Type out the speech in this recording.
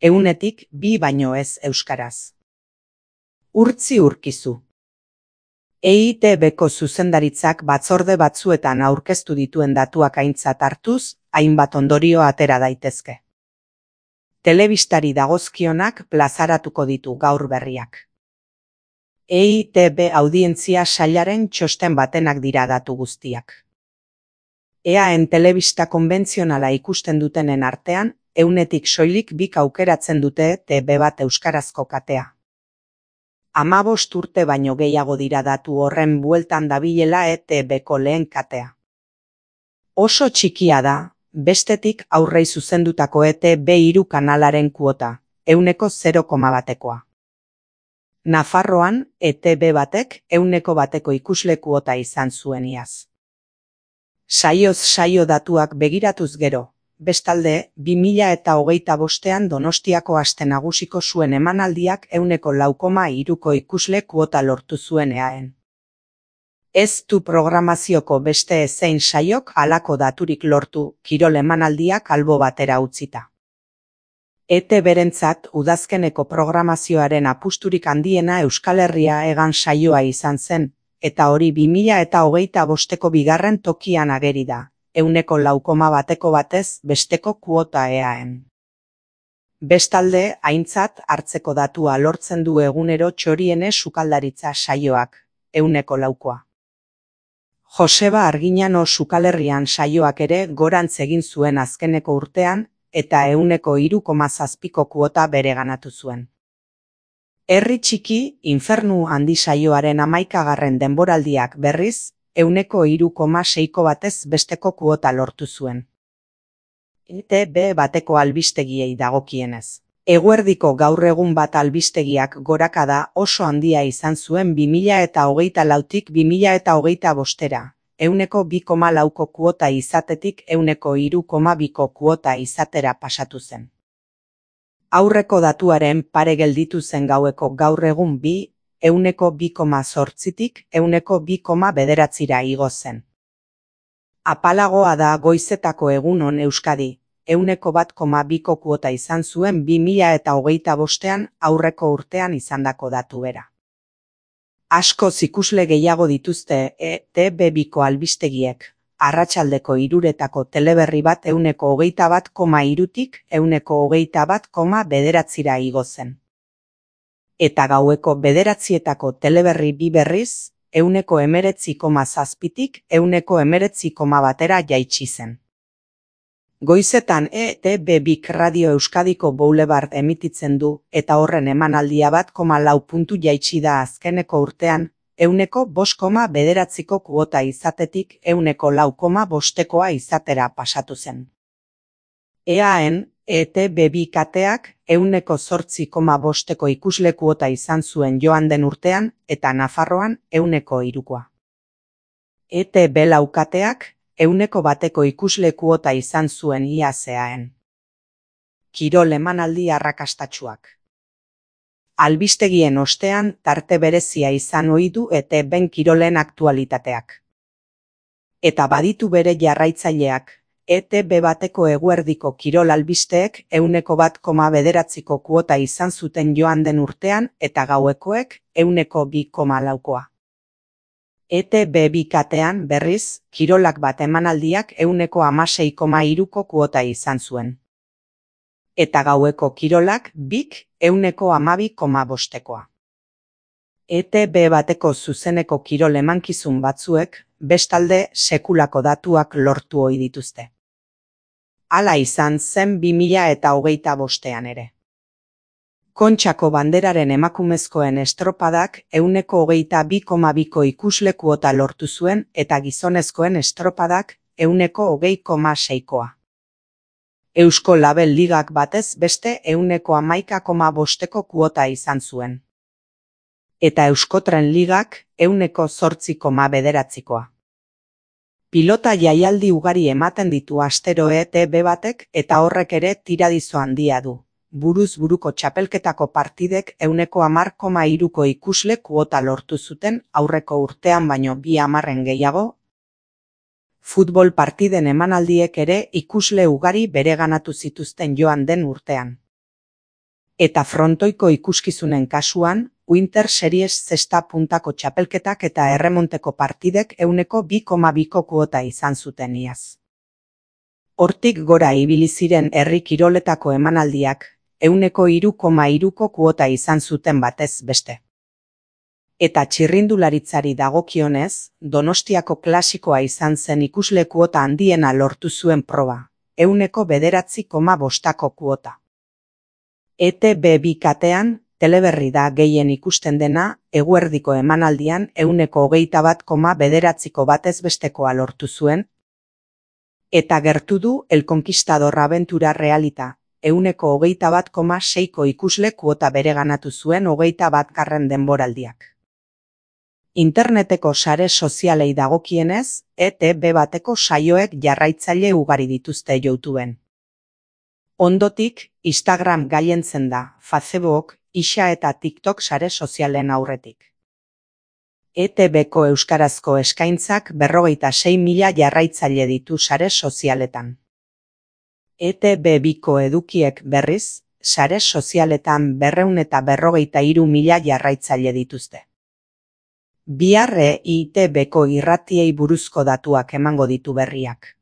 100tik 2 baino ez euskaraz. Urtzi Urkizu. EITB-ko zuzendaritzak batzorde batzuetan aurkeztu dituen datuak aintzat hartuz, hainbat ondorio atera daitezke. Telebistari dagozkionak plazaratuko ditu gaur berriak. EITB audientzia sailaren txosten batenak dira datu guztiak. EAN telebista konbentzionala ikusten dutenen artean, 100tik soilik 2 aukeratzen dute TV bat euskarazko katea. 15 urte baino gehiago dira datu horren bueltan dabilela ETB-ko lehen katea. Oso txikia da, bestetik aurrei zuzendutako ETB3 kanalaren kuota, 0,1koa. Nafarroan, ETB batek 100 ikusle kuota izan zuen iaz. Saioz saio datuak begiratuz gero, bestalde, 2025an Donostiako Aste Nagusiko zuen emanaldiak 4,3ko ikusle kuota lortu zuen EAN. Ez du programazioko beste ezein saiok halako daturik lortu, kirol emanaldiak albo batera utzita. ETB-rentzat udazkeneko programazioaren apusturik handiena Euskal Herria Hegan saioa izan zen, eta hori 2025ko bigarren tokian ageri da, 4,1ko batez besteko kuota EAN. Bestalde, aintzat hartzeko datua lortzen du egunero Txoriene sukaldaritza saioak, 4,0koa. Joseba Arginano Sukalherrian saioak ere gorantz egin zuen azkeneko urtean, eta 3,7ko kuota bereganatu zuen. Herri txiki, Infernu handi saioaren 11. denboraldiak berriz, 3,6ko batez besteko kuota lortu zuen. ETB bateko albistegiei dagokienez. Eguerdiko gaur egun bat albistegiak gorakada oso handia izan zuen 2024tik 2025era, 2,4ko kuota izatetik 3,2ko kuota izatera pasatu zen. Aurreko datuaren pare gelditu zen gaueko gaur egun 2,8tik 2,9ra igo zen. Apalagoa da goizetako egunon Euskadi, 1,2ko kuota izan zuen 2025an aurreko urtean izandako datu bera. Askoz ikusle gehiago dituzte ETB2ko albistegiek, arratsaldeko 3etako teleberri bat 121,3tik 121,9ra igo zen. Eta gaueko 9etako teleberri 2 berriz, 19,7tik 19,1ra jaitsi zen. Goizetan ETB2 Radio Euskadiko Boulevard emititzen du, eta horren emanaldia 1,4 puntu jaitsi da azkeneko urtean, 5,9ko kuota izatetik 4,5koa izatera pasatu zen. EAN, ETB2 kateak 8,5ko ikusle kuota izan zuen joan den urtean, eta Nafarroan 3koa. ETB4 kateak 100ko ikusle kuota izan zuen iaz EAN. Kirol emanaldi arrakastatsuak. Albistegien ostean tarte berezia izan ohi du ETB-en kirolen aktualitateak. Eta baditu bere jarraitzaileak, ETB bateko eguerdiko kirol albisteek 1,9ko kuota izan zuten joan den urtean eta gauekoek 2,4koa. ETB2 katean berriz, kirolak bat emanaldiak 16,3ko kuota izan zuen. Eta gaueko kirolak 12,5koa. ETB bateko zuzeneko kirol emankizun batzuek, bestalde sekulako datuak lortu ohi dituzte. Hala izan zen 2025an ere. Kontxako banderaren emakumezkoen estropadak 22,2ko ikusle kuota lortu zuen eta gizonezkoen estropadak 20,6koa. Eusko Label Ligak batez beste 11,5ko kuota izan zuen. Eta Euskotren Ligak 8,9koa. Pilota jaialdi ugari ematen ditu astero ETB batek eta horrek ere tiradizo handia du. Buruz buruko txapelketako partidek 10,3ko ikusle kuota lortu zuten aurreko urtean baino 2,10 gehiago. Futbol partiden emanaldiek ere ikusle ugari bereganatu zituzten joan den urtean. Eta frontoiko ikuskizunen kasuan, Winter Series zesta puntako txapelketak eta erremonteko partidek 2,2ko kuota izan zuten iaz. Hortik gora ibili ziren herri kiroletako emanaldiak, 3,3ko kuota izan zuten batez beste. Eta txirrindularitzari dagokionez, Donostiako klasikoa izan zen ikusle kuota handiena lortu zuen proba, 9,9ko kuota. ETB2 katean, teleberri da gehien ikusten dena, eguerdiko emanaldian 21,9ko batez bestekoa lortu zuen, eta gertu du El Conquistador Aventura Realita, 21,6ko ikusle kuota bereganatu zuen 21. denboraldiak. Interneteko sare sozialei dagokienez, ETB bateko saioek jarraitzaile ugari dituzte YouTubeen. Ondotik, Instagram gailentzen da, Facebook, Ixa eta TikTok sare sozialen aurretik. ETBko euskarazko eskaintzak 56.000 jarraitzaile ditu sare sozialetan. ETB2ko edukiek berriz, sare sozialetan 243.000 jarraitzaile dituzte. Bihar EITBko irratiei buruzko datuak emango ditu berriak.